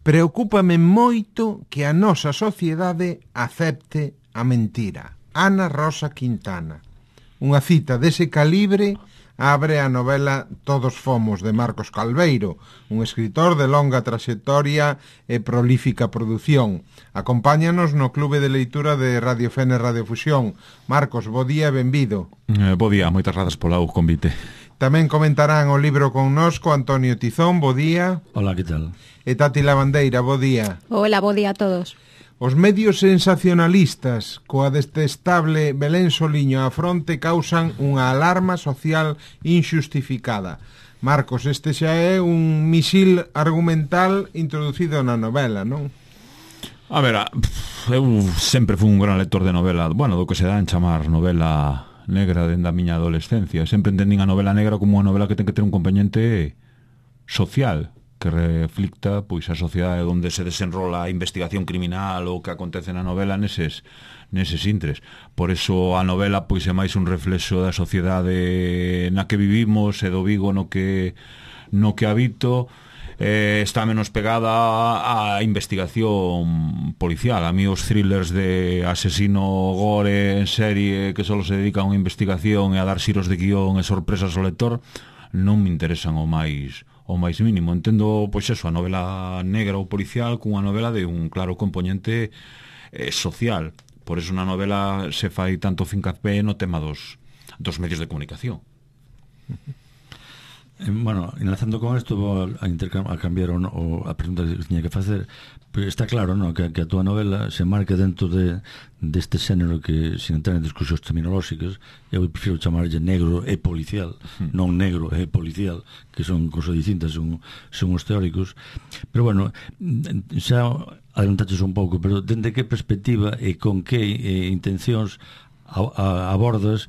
Preocúpame moito que a nosa sociedade acepte a mentira. Ana Rosa Quintana. Unha cita dese calibre abre a novela Todos fomos, de Marcos Calveiro, un escritor de longa traxectoria e prolífica produción. Acompáñanos no Clube de Leitura de Radio Fene Radio Fusión. Marcos, bo día e benvido. Bo día, moitas grazas polo convite. Tamén comentarán o libro connosco Antonio Tizón, bo día. Hola, que tal? E Tati Lavandeira, bo día. Hola, bo día a todos. Os medios sensacionalistas coa detestable Belén Soliño á fronte causan unha alarma social injustificada. Marcos, este xa é un misil argumental introducido na novela, non? A ver, eu sempre fui un gran lector de novela, bueno, do que se dá en chamar novela negra dende a miña adolescencia. Sempre entendín a novela negra como unha novela que ten que ter un componente social, que reflicta pois a sociedade onde se desenrola a investigación criminal ou que acontece na novela neses intres. Por eso a novela pois é máis un reflexo da sociedade na que vivimos e do Vigo no que habito. Está menos pegada á investigación policial. A mí os thrillers de asesino gore en serie que só se dedican a unha investigación e a dar xiros de guión e sorpresas ao lector non me interesan o máis mínimo. Entendo, pois eso, a novela negra ou policial cunha novela de un claro componente social. Por eso na novela se fai tanto fincapé no tema dos medios de comunicación. Bueno, enlazando con isto, vou a cambiar a pregunta que tiña que facer. Está claro, no, que a túa novela se marca dentro deste xénero que, sin entrar en discusións terminolóxicas, eu prefiro chamarlle negro e policial, non negro e policial, que son cosas distintas, son os teóricos. Pero bueno, xa adelantaches un pouco, pero dende que perspectiva e con que intencións abordas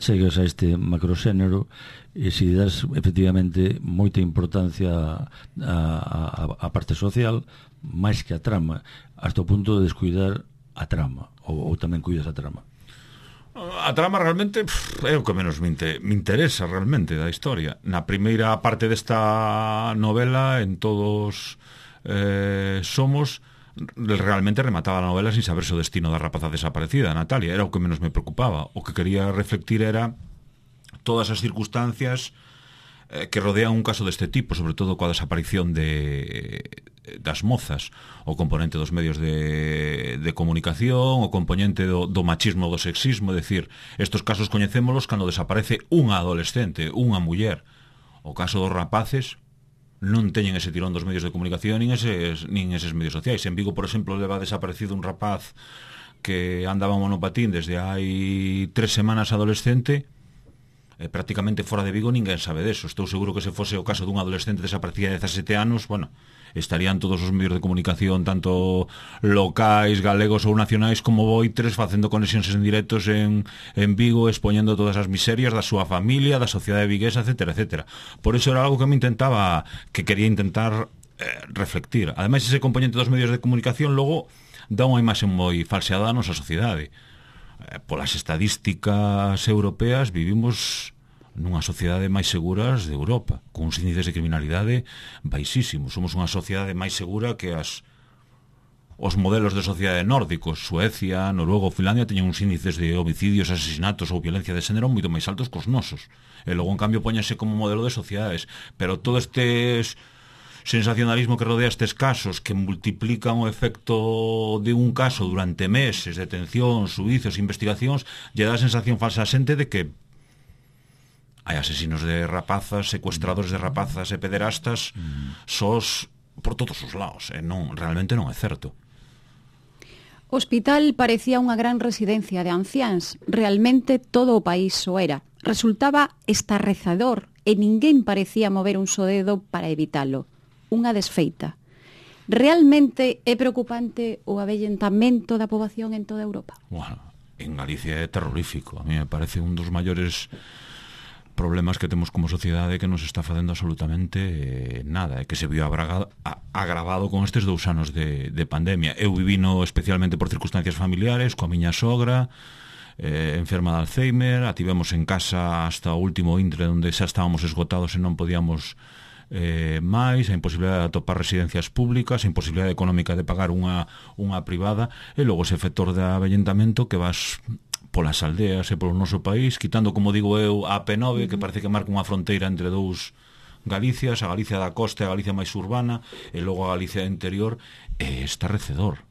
chegas a este macroxénero e se das efectivamente moita importancia á parte social máis que a trama, hasta o punto de descuidar a trama ou tamén cuidas a trama? A trama realmente é o que menos me interesa realmente da historia. Na primeira parte desta novela, en Todos somos, realmente remataba a novela sin saberse o destino da rapaza desaparecida, Natalia. Era o que menos me preocupaba. O que quería reflectir era todas as circunstancias que rodean un caso deste tipo, sobre todo coa desaparición das mozas, o componente dos medios de comunicación, o componente do machismo, do sexismo. É dicir, estos casos coñecémolos cando desaparece unha adolescente, unha muller. O caso dos rapaces non teñen ese tirón dos medios de comunicación nin eses medios sociais. En Vigo, por exemplo, leva desaparecido un rapaz que andaba en monopatín desde hai 3 semanas, adolescente, e prácticamente fora de Vigo ninguén sabe deso. Estou seguro que se fose o caso dun adolescente desaparecida de 17 anos, bueno, estarían todos os medios de comunicación, tanto locais, galegos ou nacionais, como voitres, facendo conexións en directos en Vigo, expoñendo todas as miserias da súa familia, da sociedade viguesa, etcétera, etcétera. Por eso era algo que quería intentar reflectir. Ademais, ese componente dos medios de comunicación logo dá unha imaxe moi falseada da nosa sociedade. Polas estadísticas europeas vivimos nunha sociedade máis seguras de Europa, con uns índices de criminalidade baixísimos. Somos unha sociedade máis segura que os modelos de sociedade nórdicos. Suecia, Noruega ou Finlandia teñen uns índices de homicidios, asesinatos ou violencia de xénero moito máis altos que os nosos. E logo, en cambio, póñense como modelo de sociedades. Pero todo este sensacionalismo que rodea estes casos, que multiplican o efecto de un caso durante meses, detención, xuicios, investigacións, lle dá a sensación falsa a xente de que hai asesinos de rapazas, secuestradores de rapazas e pederastas sós por todos os lados, e realmente non é certo. O hospital parecía unha gran residencia de anciáns. Realmente todo o país o era. Resultaba estarrecedor e ninguén parecía mover un só dedo para evitalo. Unha desfeita. Realmente é preocupante o avellentamento da poboación en toda Europa? Bueno, en Galicia é terrorífico. A mí me parece un dos maiores problemas que temos como sociedade, que nos está facendo absolutamente nada, e que se viu agravado con estes 2 anos de pandemia. Eu vivino especialmente por circunstancias familiares, coa miña sogra enferma de Alzheimer. A tivemos en casa hasta o último intre, onde xa estábamos esgotados e non podíamos máis, a imposibilidade de atopar residencias públicas, a imposibilidade económica de pagar unha privada, e logo ese factor de avellentamento que vas polas aldeas e polo noso país, quitando, como digo eu, a P9, que parece que marca unha fronteira entre dous Galicias, a Galicia da costa e a Galicia máis urbana, e logo a Galicia interior, é estarrecedor.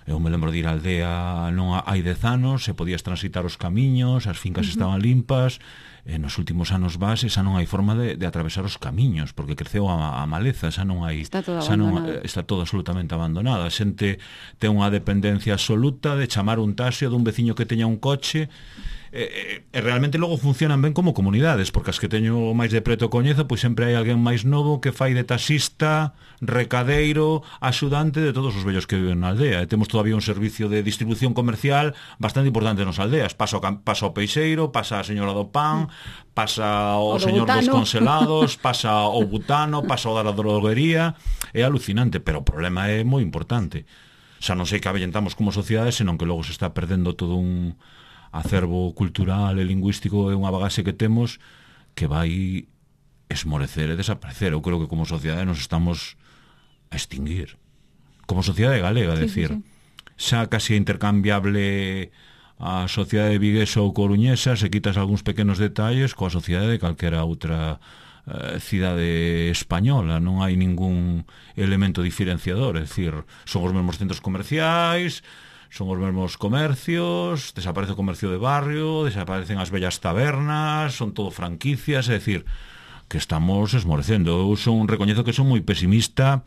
Eu me lembro de ir á aldea non hai 10 anos, se podías transitar os camiños, as fincas estaban limpas, e nos últimos anos vas, xa non hai forma de atravesar os camiños, porque creceu a maleza, xa non hai, está todo absolutamente abandonada. A xente ten unha dependencia absoluta de chamar un taxi dun veciño que teña un coche, e realmente logo funcionan ben como comunidades, porque as que teño máis de preto coñezo, pois sempre hai alguén máis novo que fai de taxista, recadeiro, axudante de todos os vellos que viven na aldea. E temos todavía un servicio de distribución comercial bastante importante nas aldeas. Pasa o peixeiro, pasa a señora do pan, pasa o señor dos congelados, pasa o butano, pasa o da droguería. É alucinante, pero o problema é moi importante. Xa non sei que avellentamos como sociedade, senón que logo se está perdendo todo un acervo cultural e lingüístico, é unha bagaxe que temos que vai esmorecer e desaparecer. Eu creo que como sociedade nos estamos a extinguir. Como sociedade galega, decir. Xa casi intercambiable a sociedade viguesa ou coruñesa, se quitas algúns pequenos detalles coa sociedade de calquera outra cidade española. Non hai ningún elemento diferenciador, é dicir, son os mesmos centros comerciais, son os mesmos comercios, desaparece o comercio de barrio, desaparecen as bellas tabernas, son todo franquicias, é dicir, que estamos esmorecendo. Eu recoñezo que son moi pesimista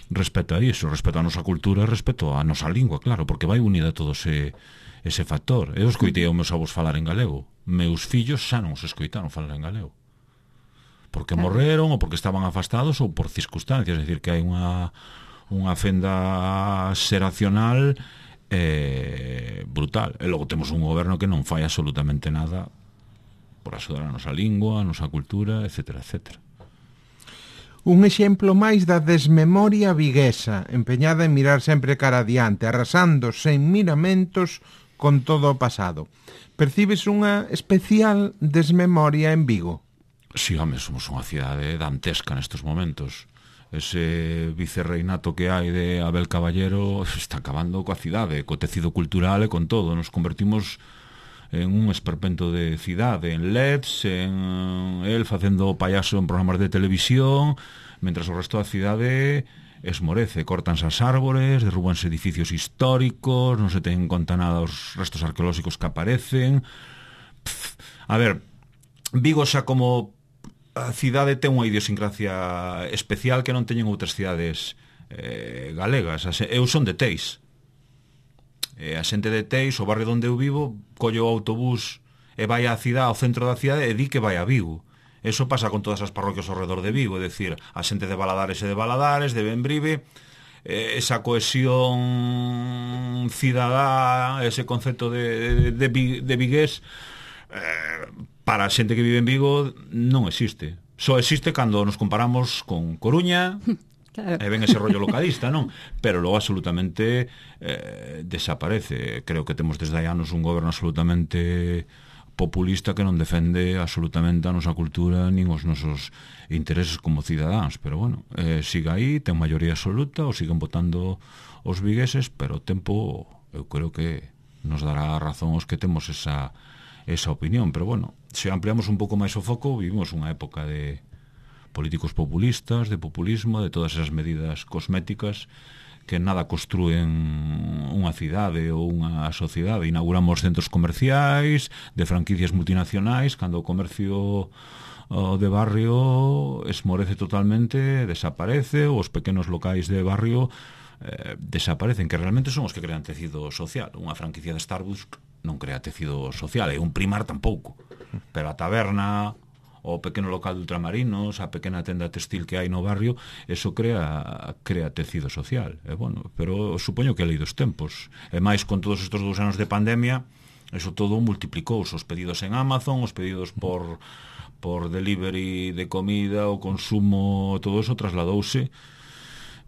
respecto a iso, respecto a nosa cultura, respecto a nosa lingua, claro, porque vai unida todo ese factor. Eu escoitei aos meus avós falar en galego. Meus fillos xa non os escoitaron falar en galego. Porque morreron, ou porque estaban afastados, ou por circunstancias, é dicir, que hai unha fenda xeracional brutal. E logo temos un goberno que non fai absolutamente nada por axudar a nosa lingua, a nosa cultura, etcétera, etcétera. Un exemplo máis da desmemoria viguesa, empeñada en mirar sempre cara adiante, arrasando sen miramentos con todo o pasado. Percibes unha especial desmemoria en Vigo? Si, home, somos unha cidade dantesca nestes momentos. Ese vicerreinato que hai de Abel Caballero está acabando coa cidade, co tecido cultural e con todo. Nos convertimos en un esperpento de cidade, en LEDs, en el facendo payaso en programas de televisión, mentras o resto da cidade esmorece, cortanse as árbores, derrúbanse edificios históricos, non se ten en conta nada os restos arqueolóxicos que aparecen. A ver, Vigo xa como a cidade ten unha idiosincrasia especial que non teñen outras cidades galegas. Eu son de Teis. A xente de Teis, o barrio onde eu vivo, colle o autobús e vai á cidade, ao centro da cidade, e di que vai a Vigo. Eso pasa con todas as parroquias ao redor de Vigo, é dicir, a xente de Valadares e de Valadares, de Benbrive, esa cohesión cidadá, ese concepto de vigués, para a xente que vive en Vigo non existe. Só existe cando nos comparamos con Coruña, claro. E ven ese rollo localista, non? Pero logo absolutamente desaparece. Creo que temos desde hai anos un goberno absolutamente populista que non defende absolutamente a nosa cultura nin os nosos intereses como cidadáns, pero bueno, siga aí, ten maioría absoluta, ou siguen votando os vigueses, pero o tempo eu creo que nos dará razón os que temos esa opinión. Pero bueno, se ampliamos un pouco máis o foco, vivimos unha época de políticos populistas, de populismo, de todas esas medidas cosméticas que nada construen unha cidade ou unha sociedade. Inauguramos centros comerciais de franquicias multinacionais cando o comercio de barrio esmorece totalmente, desaparece, os pequenos locais de barrio desaparecen, que realmente son os que crean tecido social. Unha franquicia de Starbucks non crea tecido social, e un Primar tampouco, pero a taberna, o pequeno local de ultramarinos, a pequena tenda textil que hai no barrio, eso crea tecido social. Bueno, pero supoño que é lei dos tempos. E máis con todos estes 2 anos de pandemia, eso todo multiplicou os pedidos en Amazon, os pedidos por delivery de comida, o consumo, todo eso trasladouse.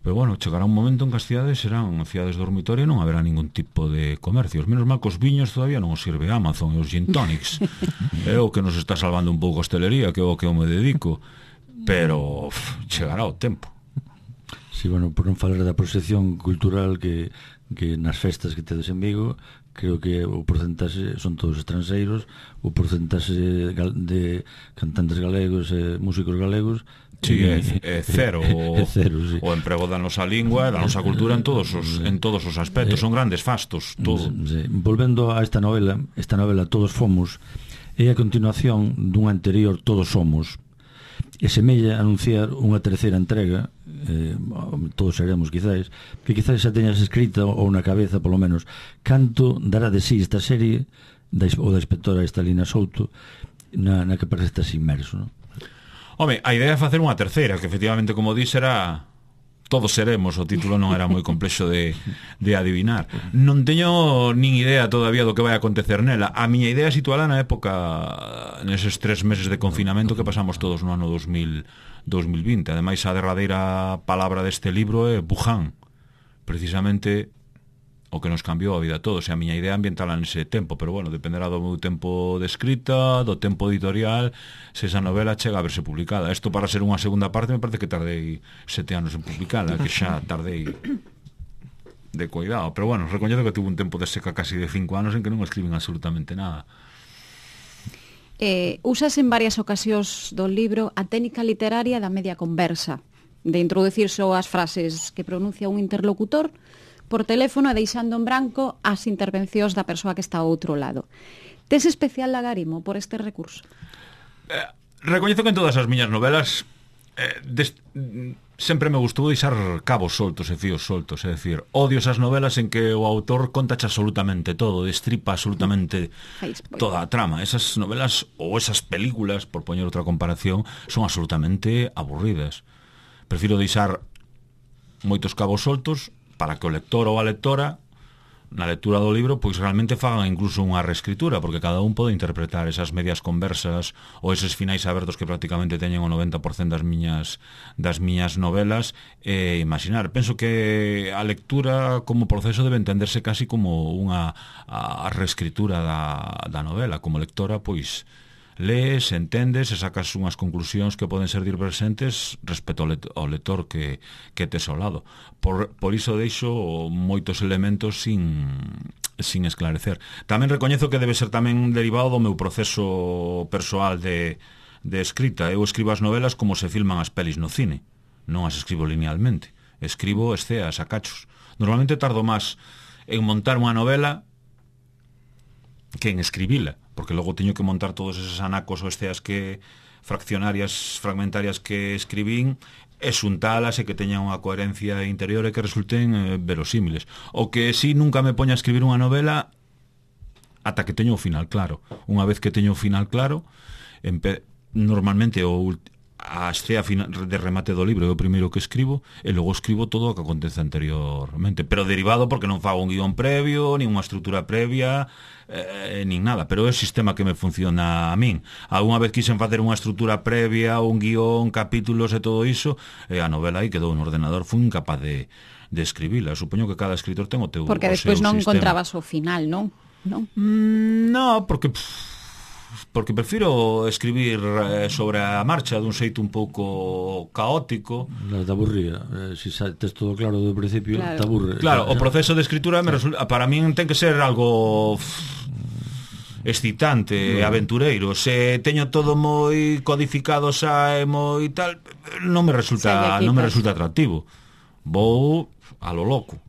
Pero bueno, chegará un momento en que as cidades serán cidades dormitorio e non haberá ningún tipo de comercios. Menos mal que os viños todavía non os sirve Amazon e os gin tonics. É o que nos está salvando un pouco a hostelería, que é o que eu me dedico. pero chegará o tempo. Sí, bueno, por non falar da proxección cultural que nas festas que tedes en Vigo, creo que o porcentaxe son todos estranxeiros, o porcentaxe de cantantes galegos e músicos galegos é cero. É cero, sí. O emprego da nosa lingua e da nosa cultura en todos os aspectos, son grandes fastos, todo. Sí. Volvendo a esta novela Todos Fomos é a continuación dunha anterior Todos Somos, e semella anunciar unha terceira entrega, todos seremos quizás, que quizás xa teñas escrita ou na cabeza polo menos canto dará de sí esta serie da inspectora Estalina Souto na que parece que estás inmerso, non? Home, a idea é facer unha terceira, que efectivamente, como dis, era Todos Seremos, o título non era moi complexo de adivinar. Non teño nin idea todavía do que vai acontecer nela. A miña idea é situala na época, neses 3 meses de confinamento que pasamos todos no ano 2020. Ademais, a derradeira palabra deste libro é Wuhan, precisamente o que nos cambiou a vida a todos. E a miña idea ambientala nese tempo, pero bueno, dependerá do meu tempo de escrita, do tempo editorial, se esa novela chega a verse publicada. Isto, para ser unha segunda parte, me parece que tardei 7 anos en publicala, que xa tardei de cuidado. Pero bueno, recoñezo que tuve un tempo de seca casi de 5 anos en que non escriben absolutamente nada. Usas en varias ocasións do libro a técnica literaria da media conversa, de introducir só as frases que pronuncia un interlocutor por teléfono e deixando en branco as intervencións da persoa que está ao outro lado. Tes especial lagarimo por este recurso? Recoñezo que en todas as miñas novelas sempre me gustou deixar cabos soltos e fíos soltos, é dicir, odio esas novelas en que o autor contache absolutamente todo, destripa absolutamente toda a trama. Esas novelas ou esas películas, por poñer outra comparación, son absolutamente aburridas. Prefiro deixar moitos cabos soltos para que o lector ou a lectora na lectura do libro pois realmente fagan incluso unha reescritura, porque cada un pode interpretar esas medias conversas ou eses finais abertos que prácticamente teñen o 90% das miñas novelas e imaginar. Penso que a lectura como proceso debe entenderse casi como unha reescritura da novela. Como lectora, pois lees, entendes e sacas unhas conclusións que poden ser diversentes respecto ao lector que tes ao lado. Por iso deixo moitos elementos sin esclarecer. Tamén recoñezo que debe ser tamén derivado do meu proceso persoal de escrita. Eu escribo as novelas como se filman as pelis no cine. Non as escribo linealmente. Escribo esceas a cachos. Normalmente tardo máis en montar unha novela que en escribila, porque logo teño que montar todos eses anacos ou esceas fragmentarias que escribín e xuntalas e que teñan unha coherencia interior e que resulten verosímiles. O que si nunca me poña a escribir unha novela ata que teño o final claro. Unha vez que teño o final claro, normalmente a escea de remate do libro é o primeiro que escribo e logo escribo todo o que acontece anteriormente, pero derivado porque non fago un guión previo, nin unha estrutura previa, nin nada, pero é o sistema que me funciona a min. Alguna vez quixen facer unha estrutura previa, un guión, capítulos e todo iso, e a novela aí quedou no ordenador, fui incapaz de escribila. Supoño que cada escritor ten o teu porque despois non encontrabas o final, non? Non, porque prefiro escribir sobre a marcha dun xeito un pouco caótico. Te aburría, se tes todo claro do principio, claro. Te aburre. Claro, o proceso de escritura para min ten que ser algo excitante, aventureiro. Se teño todo moi codificado xa e moi tal, non me resulta atractivo. Vou a lo loco.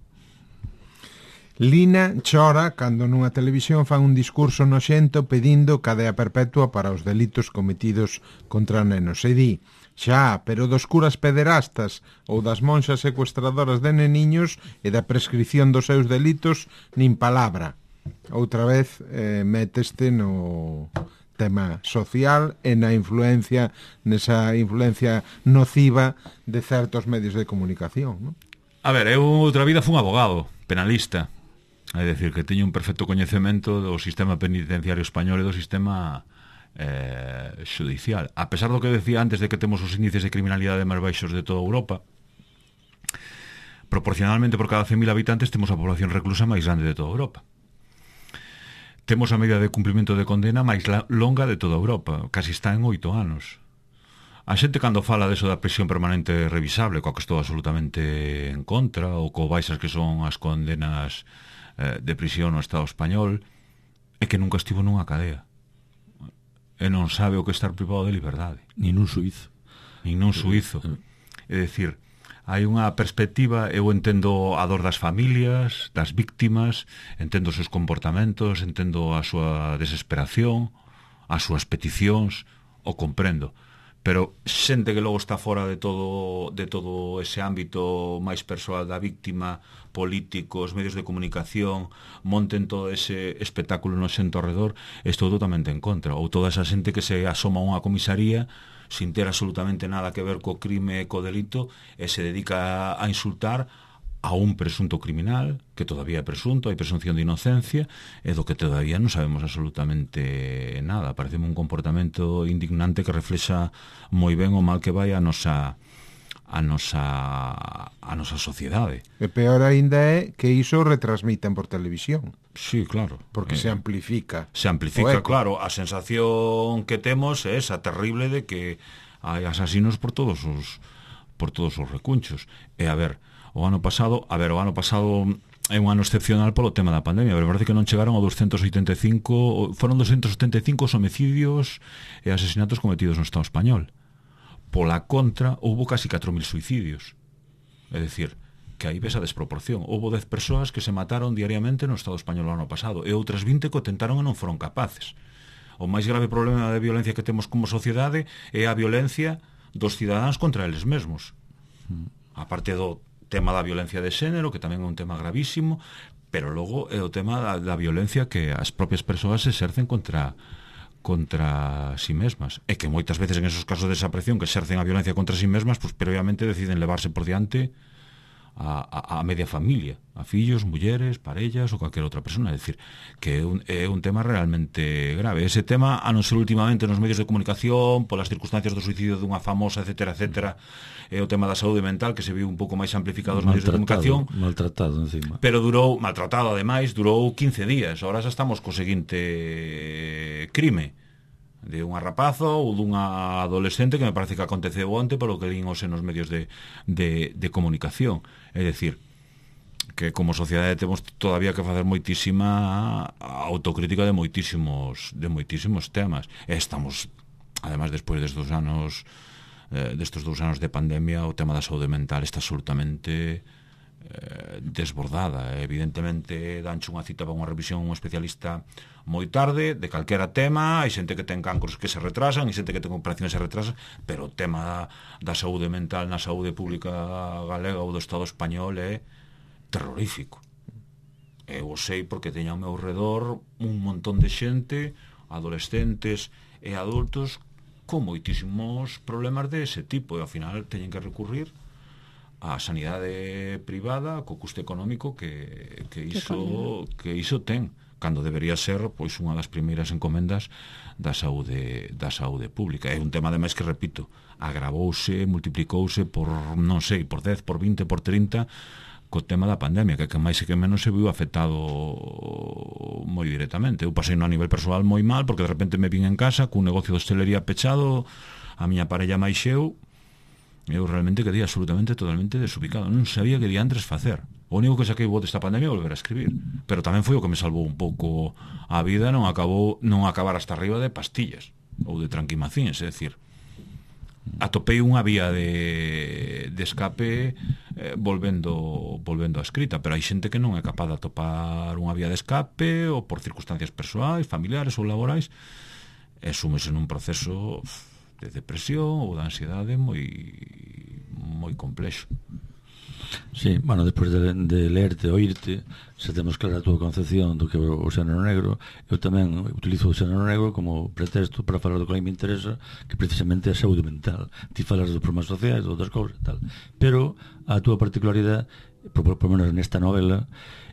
Lina chora cando nunha televisión fan un discurso noxento pedindo cadea perpetua para os delitos cometidos contra nenos. E di, xa, pero dos curas pederastas ou das monxas secuestradoras de neniños e da prescripción dos seus delitos, nin palabra. Outra vez meteste no tema social e nesa influencia nociva de certos medios de comunicación, non? A ver, eu outra vida fui un abogado penalista. É dicir, que teño un perfecto coñecemento do sistema penitenciario español e do sistema xudicial. A pesar do que decía antes de que temos os índices de criminalidade máis baixos de toda Europa, proporcionalmente por cada 100.000 habitantes temos a población reclusa máis grande de toda Europa. Temos a media de cumprimento de condena máis longa de toda Europa, casi está en 8 anos. A xente cando fala deso da prisión permanente revisable, coa que estou absolutamente en contra, ou co baixas que son as condenas de prisión no Estado español, é que nunca estivo nunha cadea. E non sabe o que estar privado de liberdade. Ni nun suizo. Ni nun suizo. É dicir, hai unha perspectiva, eu entendo a dor das familias, das víctimas, entendo os seus comportamentos, entendo a súa desesperación, as súas peticións, o comprendo. Pero xente que logo está fora de todo ese ámbito máis persoal da víctima, políticos, medios de comunicación, monten todo ese espectáculo no xento ao redor, estou totalmente en contra. Ou toda esa xente que se asoma a unha comisaría sin ter absolutamente nada que ver co crime e co delito e se dedica a insultar a un presunto criminal, que todavía é presunto, hai presunción de inocencia, e do que todavía non sabemos absolutamente nada. Pareceme un comportamento indignante que reflexa moi ben o mal que vai a nosa sociedade. E peor ainda é que iso retransmiten por televisión. Sí, claro. Porque se amplifica. Se amplifica, claro. A sensación que temos é esa terrible de que hai asasinos por todos os recunchos. E a ver, o ano pasado é un ano excepcional polo tema da pandemia, pero parece que non chegaron a 285, foron 275 homicidios e asesinatos cometidos no Estado español. Pola contra, houbo casi 4.000 suicidios. É dicir, que aí ves a desproporción. Houbo 10 persoas que se mataron diariamente no Estado español o ano pasado, e outras 20 que o tentaron e non foron capaces. O máis grave problema de violencia que temos como sociedade é a violencia dos cidadáns contra eles mesmos. A parte do tema da violencia de xénero, que tamén é un tema gravísimo, pero logo é o tema da violencia que as propias persoas exercen contra si mesmas, e que moitas veces en esos casos de desaparición que exercen a violencia contra si mesmas, pues previamente deciden levarse por diante a media familia, a fillos, mulleres, parellas ou calquera outra persona. É dicir, que é un tema realmente grave. Ese tema, a non ser últimamente nos medios de comunicación, polas circunstancias do suicidio dunha famosa, etcétera, é o tema da saúde mental, que se viu un pouco máis amplificado nos medios de comunicación. Maltratado, encima. Pero maltratado, ademais, durou 15 días. Ahora xa estamos co seguinte crime de unha rapaza ou dunha adolescente que me parece que aconteceu onte polo que lín nos medios de comunicación. É dicir, que como sociedade temos todavía que facer moitísima autocrítica de moitísimos temas. E estamos, además, despois destes 2 anos de pandemia, o tema da saúde mental está absolutamente desbordada. Evidentemente danche unha cita para unha revisión un especialista moi tarde de calquera tema. Hai xente que ten cancros que se retrasan, hai xente que ten operacións que se retrasan, pero o tema da saúde mental na saúde pública galega ou do Estado español é terrorífico. Eu o sei porque teño ao meu redor un montón de xente, adolescentes e adultos con moitísimos problemas de ese tipo, e ao final teñen que recurrir a sanidade privada co custo económico que iso ten, cando debería ser pois unha das primeiras encomendas da saúde pública. É un tema ademais que, repito, agravouse, multiplicouse por, non sei, por 10, por 20, por 30 co tema da pandemia, que máis e que menos se viu afectado moi directamente. Eu pasei no a nivel persoal moi mal, porque de repente me vin en casa cun negocio de hostelería pechado, a miña parella máis eu realmente quedei absolutamente, totalmente desubicado. Non sabía que diantres facer. O único que saquei bo desta pandemia é volver a escribir, pero tamén foi o que me salvou un pouco a vida non acabar hasta arriba de pastillas ou de tranquimacines. É dicir, atopei unha vía de escape volvendo a escrita, pero hai xente que non é capaz de atopar unha vía de escape ou por circunstancias persoais, familiares ou laborais, e súmese nun proceso de depresión ou de ansiedade moi complexo. Sí, bueno, despois de lerte, oírte, se temos clara a túa concepción do que é o xénero negro, eu tamén utilizo o xénero negro como pretexto para falar do que me interesa, que precisamente é a saúde mental. Ti falas dos problemas sociais, de outras cousas e tal, pero a túa particularidade, por menos nesta novela,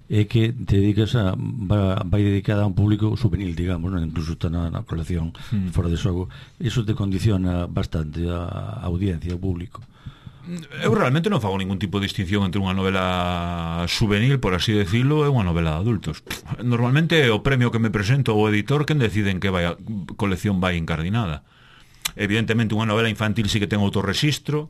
é que te dedicas vai dedicada a un público juvenil, digamos, non? Incluso está na colección fora de xogo. Iso te condiciona bastante a audiencia, o público. Eu realmente non fago ningún tipo de distinción entre unha novela juvenil, por así decirlo, e unha novela de adultos. Normalmente é o premio que me presento o editor quen decide en que colección vai incardinada. evidentemente unha novela infantil sí que ten autorrexistro,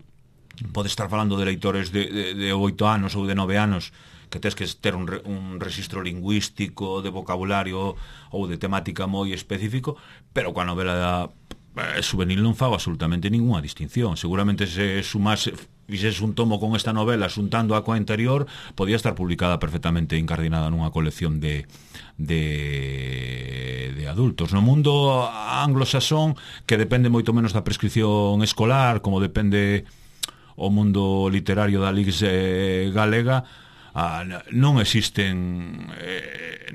pode estar falando de leitores de 8 anos ou de 9 anos que tens que ter un rexistro lingüístico, de vocabulario ou de temática moi específico, pero coa novela juvenil non fago absolutamente ninguna distinción. Seguramente se sumase, fixese un tomo con esta novela xuntando a coa anterior, podía estar publicada perfectamente incardinada nunha colección de adultos. No mundo anglosaxón, que depende moito menos da prescripción escolar, como depende o mundo literario da Lix galega, non existen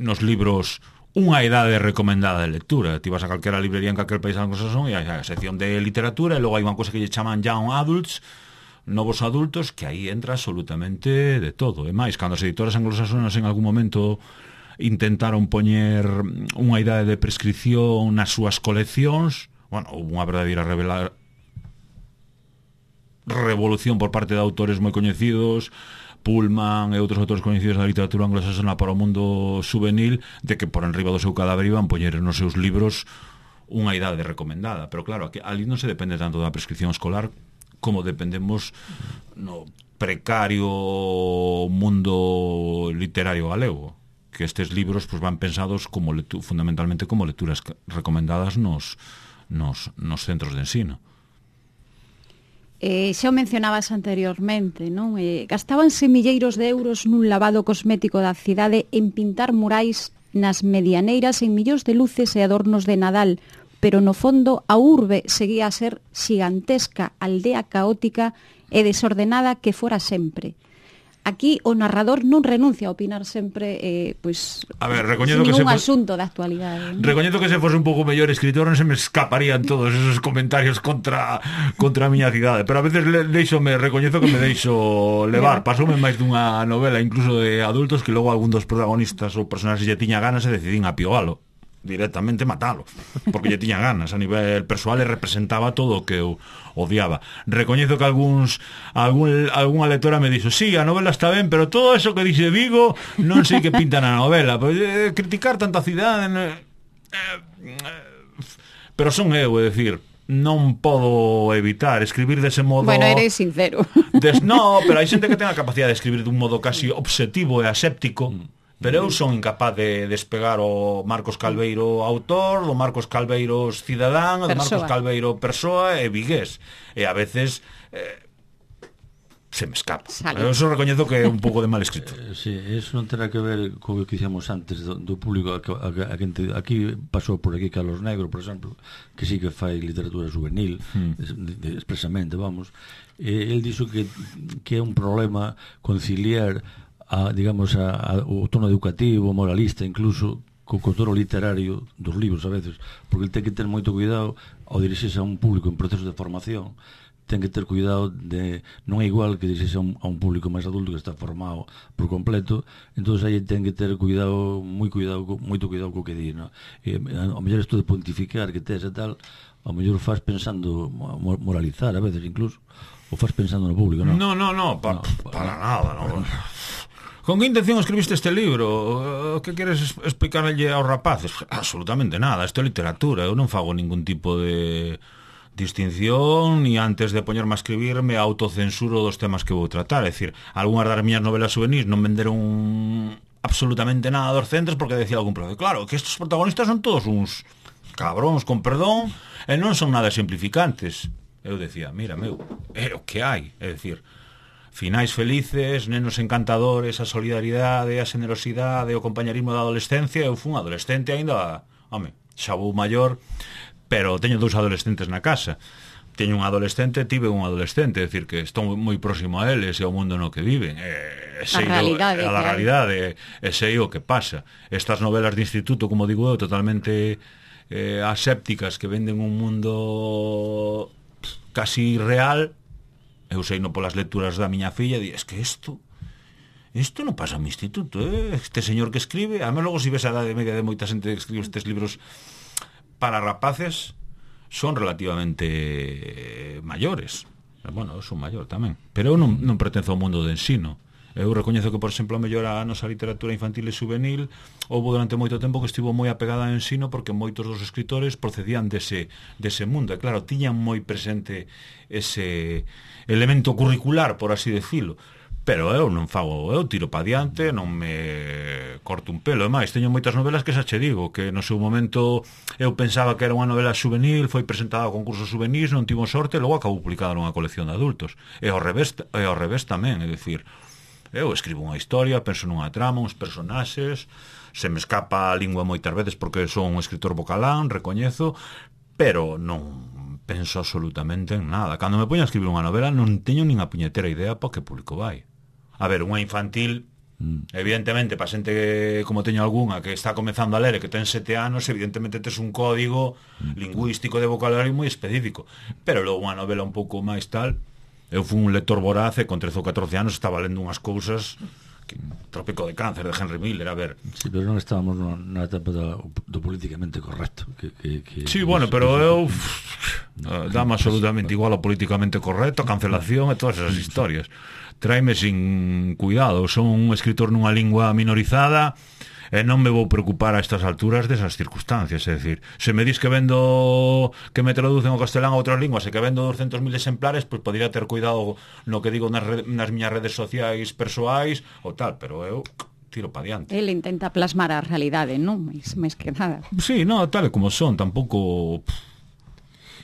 nos libros unha idade recomendada de lectura. Ti vas a calquera librería en calquer país anglosaxón e hai a sección de literatura e logo hai unha cosa que lle chaman young adults, novos adultos, que aí entra absolutamente de todo. E máis, cando as editoras anglosaxonas en algún momento intentaron poñer unha idade de prescripción nas súas coleccións, bueno, unha verdadeira revolución por parte de autores moi coñecidos, Pullman e outros autores coñecidos da literatura anglosaxona para o mundo juvenil, de que por enriba do seu cadáver iban poñer nos seus libros unha idade recomendada. Pero claro, ali non se depende tanto da prescripción escolar como dependemos no precario mundo literario galego, que estes libros pues, van pensados como fundamentalmente como lecturas recomendadas nos centros de ensino. Xa o mencionabas anteriormente, non? Gastábanse milleiros de euros nun lavado cosmético da cidade en pintar murais nas medianeiras en millóns de luces e adornos de Nadal, pero no fondo a urbe seguía a ser xigantesca, aldea caótica e desordenada que fora sempre. Aquí o narrador non renuncia a opinar sempre pois, a ver, sin ningún asunto da actualidade, ¿no? Recoñezo que se fose un pouco mellor escritor non se me escaparían todos esos comentarios contra a miña cidade, pero a veces recoñezo que me deixo levar. Pasoume máis dunha novela incluso de adultos que logo algún dos protagonistas ou personaxes lle tiña ganas e decidín apiogalo, directamente matalo, porque lle tiña ganas. A nivel persoal e representaba todo o que eu odiaba. Recoñezo que algunha lectora me dixo: sí, a novela está ben, pero todo eso que dixe Vigo non sei que pinta na novela. Criticar tanta cidade pero son eu, é dicir, non podo evitar escribir dese modo. Bueno, eres sincero. No, pero hai xente que ten a capacidade de escribir dun modo casi obsesivo e aséptico. Pero eu son incapaz de despegar o Marcos Calveiro autor, do Marcos Calveiro cidadán, do Marcos Calveiro persoa e vigués. E a veces se me escapa. Eu só recoñezo que é un pouco de mal escrito. Sí, eso non terá que ver co que dixemos antes do público aquí pasou por aquí Carlos Negro, por exemplo, que sí que fai literatura juvenil expresamente, vamos. El dixo que é un problema conciliar o tono educativo, moralista, incluso co tono literario dos libros a veces, porque ele ten que ter moito cuidado ao dirixirse a un público en proceso de formación. Ten que ter cuidado de non é igual que dirixirse a un público máis adulto que está formado por completo. Entonces aí ten que ter cuidado, moito cuidado co que di, ¿no? Ao mellor isto de pontificar que tes e tal, ao mellor faz pensando moralizar a veces incluso, ou faz pensando no público, non? No, para nada, non. Con que intención escribiste este libro? Que queres explicarlle aos rapaces? Absolutamente nada, isto é literatura. Eu non fago ningún tipo de distinción, ni antes de poñerme a escribir me autocensuro dos temas que vou tratar. É dicir, algunhas das miñas novelas juvenis non venderon absolutamente nada dos centros porque decía algún profe, claro, que estes protagonistas son todos uns cabróns, con perdón, e non son nada simplificantes. Eu decía, mira, é o que hai, é dicir, finais felices, nenos encantadores, a solidaridade, a generosidade, o compañerismo da adolescencia. Eu fui un adolescente aínda, xa vou maior, pero teño 2 adolescentes na casa. Teño un adolescente, tive un adolescente, é dicir, que estou moi próximo a eles e ao mundo no que viven. A realidade, e sei o que pasa. Estas novelas de instituto, como digo eu, totalmente asépticas, que venden un mundo casi real. Eu sei no polas lecturas da miña filla, es que isto non pasa no instituto, este señor que escribe, a mí logo si ves a edade media de moita xente que escribe estes libros para rapaces, son relativamente maiores. Bueno, eu son maior tamén, pero eu non pertenzo ao mundo de ensino. Eu recoñezo que, por exemplo, a mellor a nosa literatura infantil e juvenil houve durante moito tempo que estivo moi apegada ao ensino porque moitos dos escritores procedían dese mundo, e claro, tiñan moi presente ese elemento curricular, por así decirlo. Pero eu non fago, eu tiro pa diante, non me corto un pelo. E máis, teño moitas novelas que xa che digo, que no seu momento eu pensaba que era unha novela juvenil, foi presentada a concursos juvenis, non tivo sorte, e logo acabou publicada nunha colección de adultos. E ao revés tamén, é dicir, eu escribo unha historia, penso nunha trama, uns personaxes, se me escapa a lingua moitas veces porque son un escritor vocalán, recoñezo, pero non penso absolutamente en nada. Cando me poño a escribir unha novela non teño nin a puñetera idea para que público vai. A ver, unha infantil, evidentemente, para xente como teño algunha que está comezando a ler e que ten 7 anos, evidentemente tes un código lingüístico de vocabulario moi específico, pero logo unha novela un pouco máis tal. Eu fui un lector voraz e con 13 ou 14 anos estaba lendo unhas cousas que, Trópico de Cáncer de Henry Miller, a ver. Sí, pero non estábamos na etapa do políticamente correcto sí, bueno, pero eu dame absolutamente igual ao políticamente correcto, a cancelación e todas esas historias. Traime sin cuidado, son un escritor nunha lingua minorizada e non me vou preocupar a estas alturas desas circunstancias, é dicir, se me dis que que me traducen ao castelán a outras linguas e que vendo 200.000 exemplares, pois podría ter cuidado no que digo nas miñas redes sociais persoais ou tal, pero eu tiro pa diante. Ele intenta plasmar a realidade, non? Mais que nada. Sí, no, tal e como son, tampouco.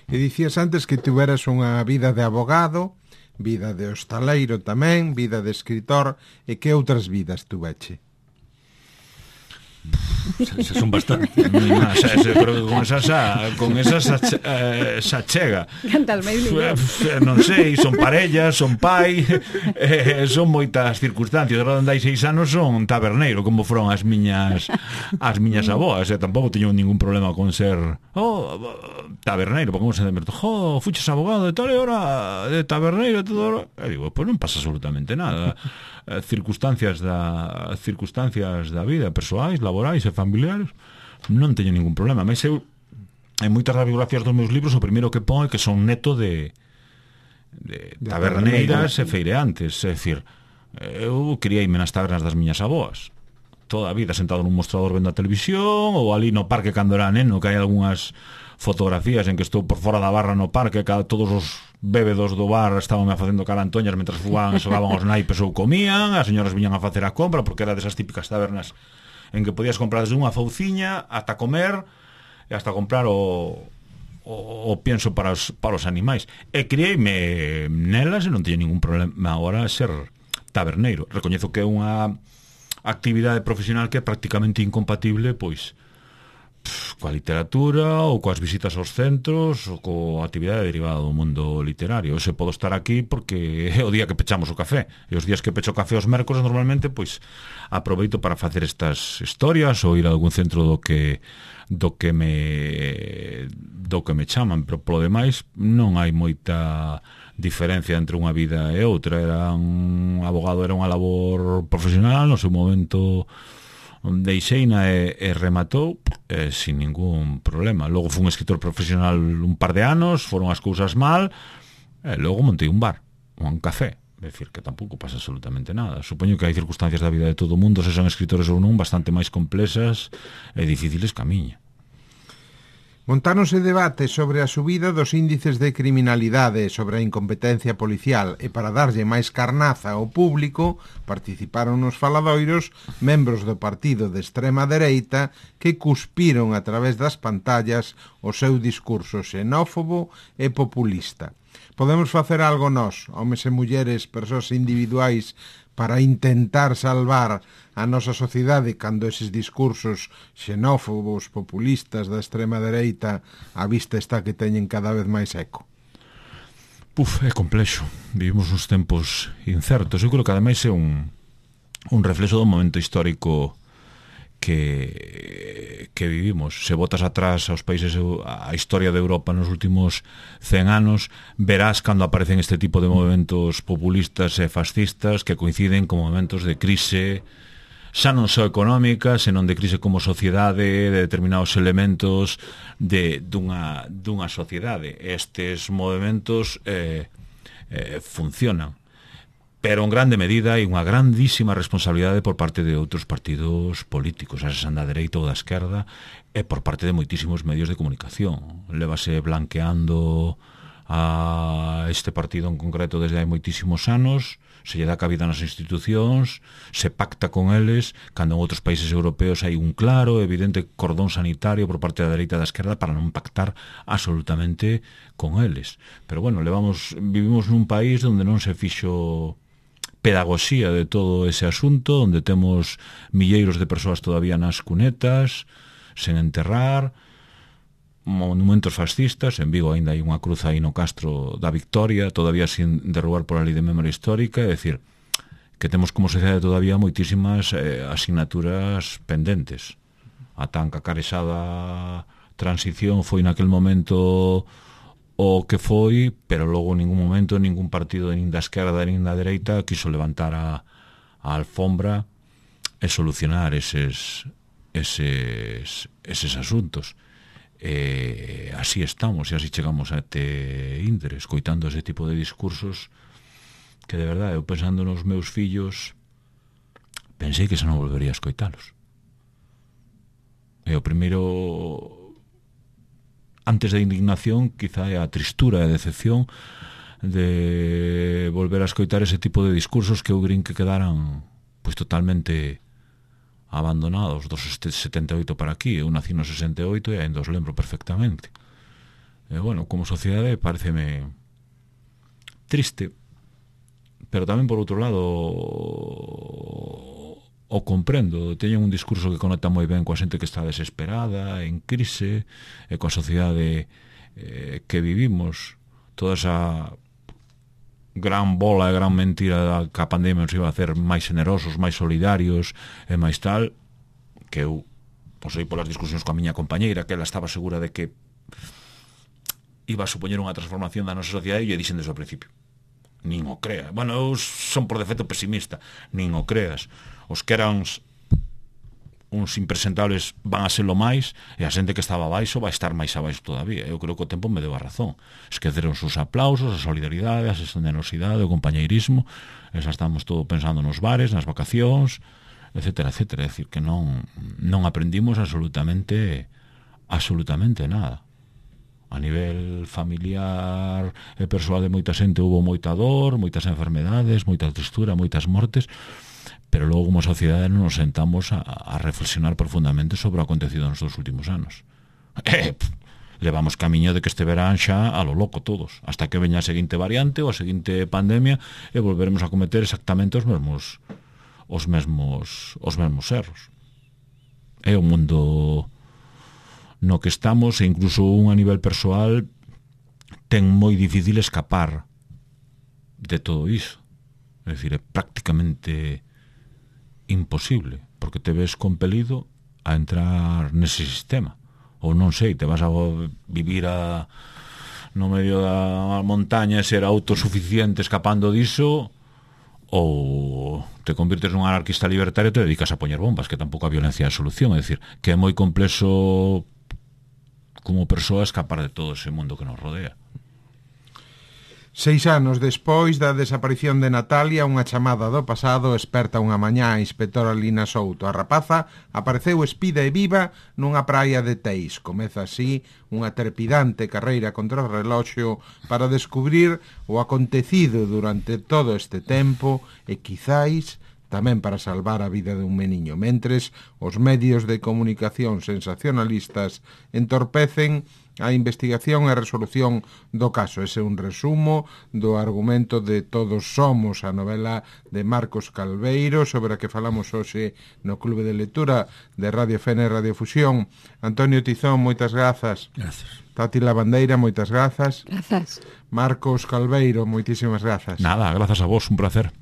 E dicías antes que tuveras unha vida de abogado, vida de hostaleiro tamén, vida de escritor, e que outras vidas tuveche? Se son bastante. Pero con esas xa chega. Cantas máis libros. Non sei, son parellas, son pai, son moitas circunstancias. Ahora andai 6 anos son taberneiro, como foron as miñas aboas, e tampouco teño ningún problema con ser taberneiro, porque como se demerto, fuches abogado e tal, e ahora de taberneiro e todo. E digo, pois non pasa absolutamente nada. Circunstancias da vida, persoais, laborais e familiares, non teño ningún problema. Mas eu, en moitas das biografías dos meus libros, o primeiro que pon é que son neto de taberneiras e feireantes. É dicir, eu criei-me nas tabernas das miñas aboas, toda a vida sentado nun mostrador vendo a televisión, ou ali no parque cando era neno, que hai algunhas fotografías en que estou por fora da barra no parque, todos os bébedos do bar estaban facendo carantoñas mentras fugaban e xogaban os naipes ou comían, as señoras viñan a facer a compra, porque era desas típicas tabernas en que podías comprar desde unha fauciña ata comer e hasta comprar o pienso para os animais. E criei-me nelas e non teño ningún problema agora ser taberneiro. Recoñezo que é unha actividade profesional que é prácticamente incompatible, pois, coa literatura ou coas visitas aos centros ou coa actividade derivada do mundo literario. Eu se podo estar aquí porque é o día que pechamos o café, e os días que pecho o café os mércores normalmente pois aproveito para facer estas historias ou ir a algún centro do que me chaman, pero polo demais non hai moita diferencia entre unha vida e outra. Era un abogado, era unha labor profesional, no seu momento deixeina e rematou sin ningún problema. Logo fui un escritor profesional un par de anos, foron as cousas mal, e logo montei un bar, un café. É dicir, que tampouco pasa absolutamente nada. Supoño que hai circunstancias da vida de todo o mundo, se son escritores ou non, bastante máis complexas e difíciles que a miña. Montáronse debate sobre a subida dos índices de criminalidade, sobre a incompetencia policial, e para darlle máis carnaza ao público participaron nos faladoiros membros do partido de extrema dereita que cuspiron a través das pantallas o seu discurso xenófobo e populista. Podemos facer algo nós, homes e mulleres, persoas individuais, para intentar salvar a nosa sociedade cando eses discursos xenófobos, populistas da extrema dereita a vista está que teñen cada vez máis eco? É complexo. Vivimos uns tempos incertos. Eu creo que ademais é un reflexo do momento histórico que vivimos. Se botas atrás aos países, a historia de Europa nos últimos 100 anos, verás cando aparecen este tipo de movimentos populistas e fascistas que coinciden con momentos de crise, xa non só económica, senón de crise como sociedade, de determinados elementos dunha sociedade. Estes movimentos funcionan. pero en grande medida hai unha grandísima responsabilidade por parte de outros partidos políticos, a sean da dereita ou da esquerda, e por parte de moitísimos medios de comunicación. Lévase blanqueando a este partido en concreto desde hai moitísimos anos, se lle dá cabida nas institucións, se pacta con eles, cando en outros países europeos hai un claro, evidente cordón sanitario por parte da dereita e da esquerda para non pactar absolutamente con eles. Pero bueno, vivimos nun país onde non se fixo pedagogía de todo ese asunto, onde temos milleiros de persoas todavía nas cunetas, sen enterrar, monumentos fascistas. En Vigo ainda hai unha cruz aí no Castro da Victoria, todavía sin derrubar por a lei de memoria histórica, é dicir, que temos como sociedade todavía moitísimas asignaturas pendentes. A tan cacarexada transición foi naquel momento o que foi, pero logo en ningún momento ningún partido nin da esquerda nin da dereita quiso levantar a alfombra e solucionar eses asuntos. Así estamos e así chegamos a este íntere, escoitando ese tipo de discursos que de verdade, eu pensando nos meus fillos, pensei que xa non volvería a escoitalos. E o primeiro, antes da indignación, quizá é a tristura e a decepción de volver a escoitar ese tipo de discursos que eu crin que quedaran pois totalmente abandonados dos 78 para aquí. Eu nací no 68 e ainda os lembro perfectamente. E bueno, como sociedade pareceme triste, pero tamén por outro lado o comprendo. Teñen un discurso que conecta moi ben coa xente que está desesperada, en crise, e coa sociedade que vivimos. Toda esa gran bola e gran mentira que a pandemia nos iba a hacer máis generosos, máis solidarios e máis tal, que eu posei polas discusións coa miña compañeira, que ela estaba segura de que iba a supoñer unha transformación da nosa sociedade, e lle dixen desde o principio, nin o creas. Bueno, eu son por defecto pesimista, nin o creas. Os que eran uns impresentables van a ser lo máis, e a xente que estaba abaixo vai estar máis abaixo todavía. Eu creo que o tempo me deu a razón. Esqueceron os aplausos, a solidaridade, a generosidade, o compañeirismo, e xa estamos todo pensando nos bares, nas vacacións, etcétera, etcétera. É dicir, que non aprendimos absolutamente nada. A nivel familiar e persoal de moita xente houve moita dor, moitas enfermedades, moita tristura, moitas mortes, pero logo como sociedade non nos sentamos a reflexionar profundamente sobre o acontecido nos dos últimos anos. Levamos camiño de que este verán xa a lo loco todos, hasta que veña a seguinte variante ou a seguinte pandemia e volveremos a cometer exactamente os mesmos erros. É o mundo no que estamos, e incluso un a nivel persoal ten moi difícil escapar de todo iso. É dicir, é prácticamente imposible, porque te ves compelido a entrar nese sistema, ou non sei, te vas a vivir no medio da montaña e ser autosuficiente escapando diso, ou te convirtes nun anarquista libertario e te dedicas a poñer bombas, que tampouco a violencia é a solución. É dicir, que é moi complexo como persoa escapar de todo ese mundo que nos rodea. 6 anos despois da desaparición de Natalia, unha chamada do pasado esperta unha mañá a inspectora Lina Souto. A rapaza apareceu espida e viva nunha praia de Teis. Comeza así unha trepidante carreira contra o reloxo para descubrir o acontecido durante todo este tempo e quizáis tamén para salvar a vida dun meniño. Mentres, os medios de comunicación sensacionalistas entorpecen a investigación e a resolución do caso. Ese é un resumo do argumento de Todos Somos, a novela de Marcos Calveiro, sobre a que falamos hoxe no Clube de Lectura de Radio Fene e Radio Fusión. Antonio Tizón, moitas grazas. Gracias. Tati Lavandeira, moitas grazas. Grazas. Marcos Calveiro, moitísimas grazas. Nada, grazas a vos, un placer.